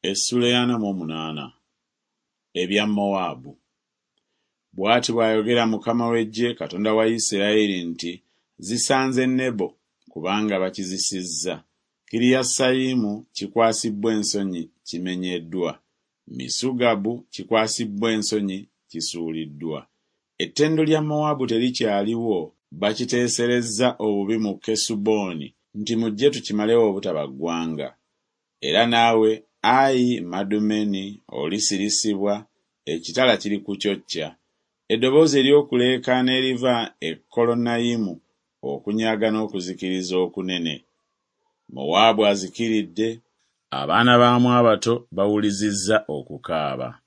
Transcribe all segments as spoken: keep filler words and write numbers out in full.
Essuula ey'ana mu omunaana. Ebya Mowaabu. Bw'ati bw'ayogera Mukama w'eggye, Katonda wa Isirayiri nti, Zisanze Nebo, kubanga bakizisizza. Kiriyasayimu kikwasibbwa ensonyi kimenyeddwa. Misugabu kikwasibbwa ensonyi kisuuliddwa. Ettendo lya Mowaabu terikyaliwo, bakiteeserezza obubi mu Kesuboni nti mujje tukimalewo obutaba ggwanga. Era naawe, ayi Madumeni, olisirisibwa, ekitala kirikucocca. Eddoboozi ery'okuleekaana eriva e Kolonayimu, okunyaga n'okuzikiriza okunene. Mowaabu azikiridde, abaana baamu abato bawulizizza okukaaba.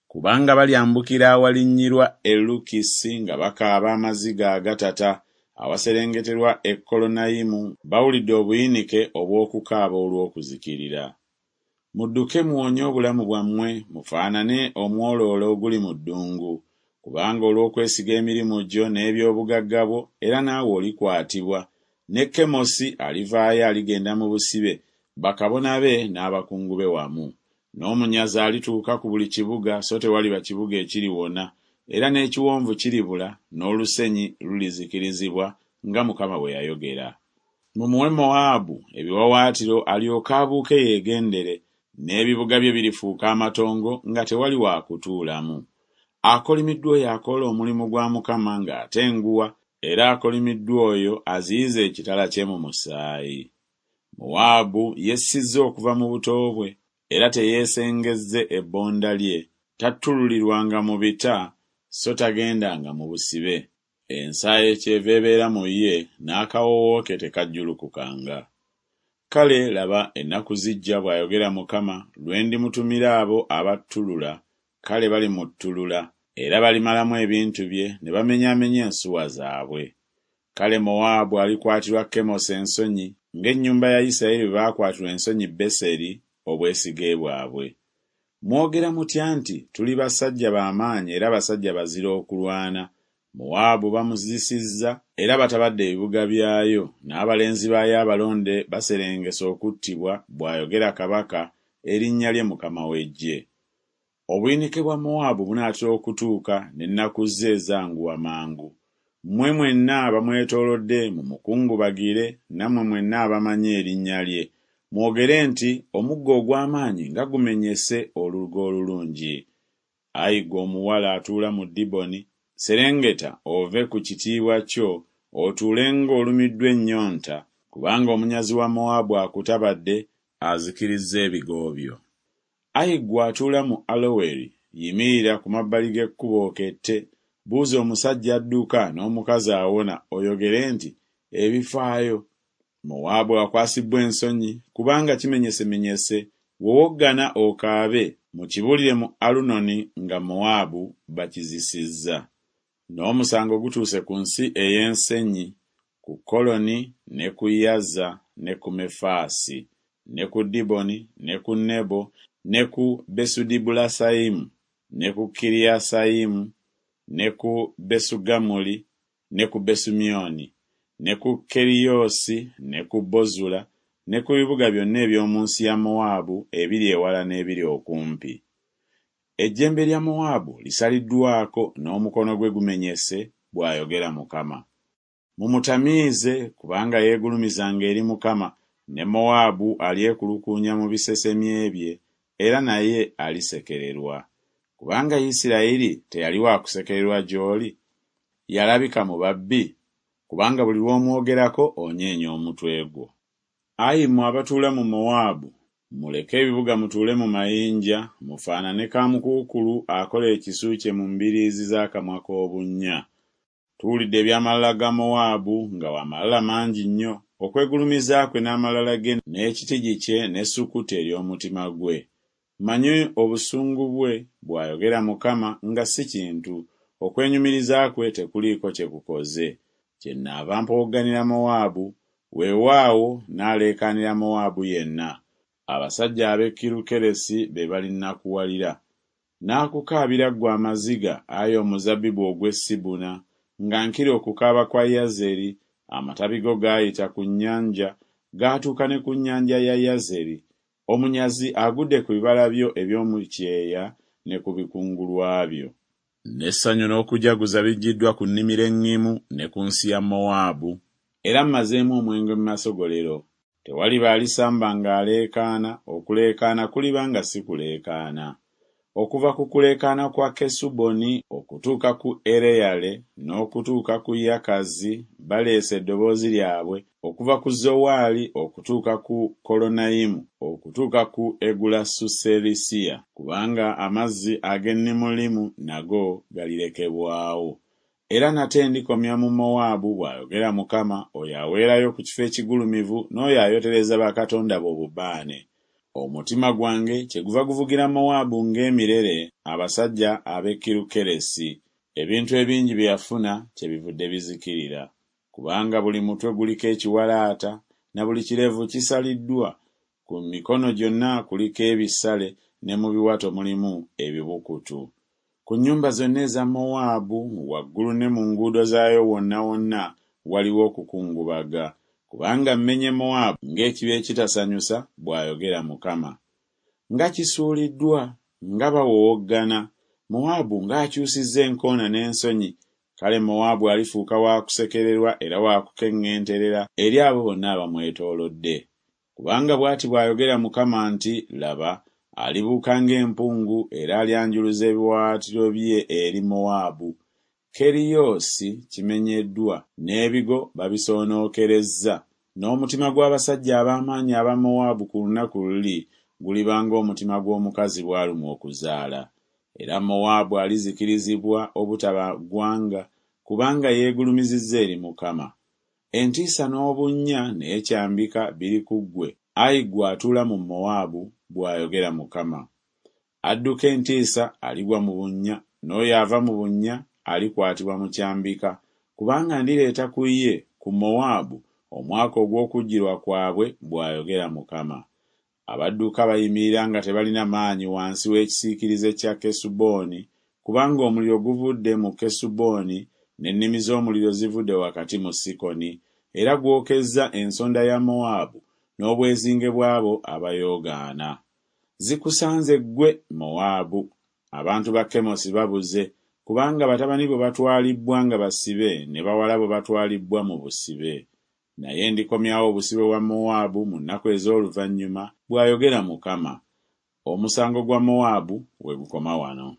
Kubanga balyambukira awalinnyirwa e Lukisi nga bakaaba amaziga agatata, awaserengeterwa e Kolonayimu bawulidde obuyinike obw'okukaaba olw'okuzikirira. Mudduke muwonye obulamu bwammwe, mufaanane omwoloola oguli mu ddungu. Kubanga olw'okwesiga emirimu gyo n'eby'obugagga bwo, era naawe olikwatibwa, ne Kemosi alivaayo aligenda mu busibe, bakabona be n'abakungu be wamu. N'omunyazi alituuka ku buli kibuga, so tewaliba kibuga ekiriwona, era n'ekiwonvu kiribula, n'olusenyi lulizikirizibwa, nga Mukama bwe yayogera. Mumuwe Mowaabu ebiwaawaatiro alyoke abuuke yeegendere, n'ebibuga bye birifuuka amatongo nga tewali wa kutuulamu. Akolimiddwa oyo akola omulimu gwa Mukama ng'atenguwa, era akolimiddwa oyo aziyiza ekitala kye mu musaayi. Mowaabu yessizza okuva mu buto bwe, era teyeesengezze ebbonda lye, tattululirwanga mu bita, so tagendanga mu busibe. Ensaayo kyeva ebeera mu ye, n'akawoowo ke tekajjulukukanga. Kale laba, ennaku zijja, bw'ayogera Mukama, lwe ndimutumira abo abattulula, kale balimuttulula, era balimalamu ebintu bye ne bamenyaamenya ensuwa zaabwe. Kale Mowaabu alikwatirwa Kemosi ensonyi, ng'ennyumba ya Isirayiri bwe baakwatirwa ensonyi Beseri, obwesige bwabwe. Mwogera mutya nti, Tuli basajja ba maanyi era basajja bazira okulwana. Mowaabu bamuzisizza era batabadde ebibuga byayo, n'abalenzi baayo abalonde baserengese okuttibwa, bw'ayogera Kabaka, erinnya lye Mukama w'eggye. Obuyinike bwa Mowaabu bunaatera okutuuka, n'ennaku ze zanguwa mangu. Mmwe mwenna abamwetoolodde mumukungubagire, nammwe mwenna abamanyi erinnya lye. Mwogere nti, Omuggo ogw'amaanyi nga gumenyese olugo olulungi! Ayi ggwe omuwala atuula mu Diboni, serengeta ove ku kitiibwa kyo, otuule ng'olumiddwa ennyonta, kubanga omunyazi wa Mowaabu akutabadde, azikirizza ebigo byo. Ayi ggwe atuula mu Aloweri, yimirira ku mabbali g'ekkubo okette, buuza omusajja adduka n'omukazi awona, oyogere nti, Ebifaayo! Mowaabu akwasibbwa ensonyi, kubanga kimenyesemenyese, wowoggana okaabe, mukibuulire mu Alunoni nga Mowaabu bakizisizza. N'omusango gutuuse ku nsi ey'ensenyi, ku Koloni ne ku Yaza ne ku Mefaasi, ne ku Diboni ne ku Nebo ne ku Besudibulasayimu ne ku Kiriyasayimu ne ku Besugamuli ne ku Besumyoni ne ku Keriyoosi ne ku Bozula ne ku bibuga byonna eby'omu nsi ya Mowaabu ebiri ewala n'ebiri okumpi. Ejjembe lya Mowaabu lisaliddwako n'omukono gwe gumenyese, bw'ayogera Mukama. Mumutamiize, kubanga yeegulumizanga eri Mukama, ne Mowaabu alyekulukuunya mu bisesemye bye, era naye alisekererwa. Kubanga Isirayiri teyali wa kusekererwa gy'oli? Yalabika mu babbi? Kubanga buli lw'omwogerako onyeenya omutwe gwo. Ayi mmwe abatuula mu Mowaabu, muleke ebibuga mutuule mu mayinja, mufaanane kaamukuukulu akola ekisu kye mu mbiriizi z'akamwa k'obunnya. Tuwulidde eby'amalala ga Mowaabu, nga wa malala mangi nnyo, okwegulumiza kwe n'amalala ge n'ekitigi kye n'essukuti ery'omutima gwe. Mmanyi obusungu bwe, bw'ayogera Mukama, nga si kintu, okwenyumiriza kwe tekuliiko kye kukoze. Kyennaava mpowogganira Mowaabu, weewaawo nnaaleekaanira Mowaabu yenna. Abasajja ab'e Kirukeresi be balinnakuwalira. Naakukaabira ggwe amaziga, ayi omuzabbibu ogw'e Sibuna, nga nkira okukaaba kwa Yazeri, amatabi go gaayita ku nnyanja, gaatuuka ne ku nnyanja ya Yazeri. Omunyazi agudde ku bibala byo eby'omu kyeya ne ku bikungulwa byo. N'essanyu n'okujaguza biggyiddwa ku nnimiro eŋŋimu ne ku nsi ya Mowaabu. Era mmazeemu omwenge mu masogolero. Tewaliba alisamba ng'aleekaana, okuleekaana kuliba nga si kuleekaana. Okuva ku kuleekaana kwa Kesuboni okutuuka ku Ereyale n'okutuuka ku Yakazi baleese eddoboozi lyabwe, okuva ku Zowaali okutuuka ku Kolonayimu okutuuka ku Egulasuserisiya, kubanga amazzi ag'e Nimulimu nago galirekebwawo. Era nate ndikomya mu Mowaabu, bw'ayogera Mukama, oyo aweerayo ku kifo ekigulumivu n'oyo ayotereza bakatonda be obubaane. Omutima gwange kyeguva guvugira Mowaabu ng'emirere, abasajja ab'e Kirukeresi. Ebintu ebingi bye yafuna kyebivudde bizikirira. Kubanga buli mutwe guliko ekiwalaata, na buli kirevu kisaliddwa, ku mikono gyonna kuliko ebisale ne mu biwato mulimu ebibukutu. Ku nnyumba zonna eza Mowaabu waggulu ne mu nguudo zaayo wonna wonna waliwo okukungubaga, kubanga mmenye Mowaabu ng'ekibya ekitasanyusa, bw'ayogera Mukama. Nga kisuuliddwa, nga bawowoggana! Mowaabu ng'akyusizza enkoona n'ensonyi! Kale Mowaabu alifuuka wa kusekererwa era wa kukeŋŋenterera eri abo bonna abamwetoolodde. Kubanga bw'ati bw'ayogera Mukama nti, Laba, alibuuka ng'empungu era alyanjuluza ebiwaawaatiro bye eri Mowaabu. Keriyoosi kimenyeddwa, n'ebigo babisoonookerezza, n'omutima gw'abasajja ab'amaanyi aba Mowaabu ku lunaku luli guliba ng'omutima gw'omukazi bw'alumwa okuzaala. Era Mowaabu alizikirizibwa obutaba ggwanga, kubanga yeegulumizizza eri Mukama. Entiisa n'obunnya n'ekyambika biri ku ggwe, ayi ggwe atuula mu Mowaabu, bw'ayogera Mukama. Adduka entiisa aligwa mu bunnya, n'oyo ava mu bunnya alikwatibwa mu kyambika, kubanga ndireeta ku ye, ku Mowaabu, omwaka ogw'okujjirwa kwabwe, bw'ayogera Mukama. Abadduka bayimirira nga tebalina maanyi wansi w'ekisiikirize kya Kesuboni, kubanga omuliro guvudde mu Kesuboni, n'ennimi z'omuliro zivudde wakati mu Sikoni, era gwokezza ensonda ya Mowaabu n'obwezinge bw'abo abayoogaana. Zikusanze ggwe, Mowaabu! Abantu ba Kemosi babuze, kubanga batabani bo batwalibbwa nga basibe ne bawala bo batwalibbwa mu busibe. Naye ndikomyawo obusibe bwa Mowaabu mu nnaku ez'oluvannyuma, bw'ayogera Mukama. Omusango gwa Mowaabu we gukoma wano.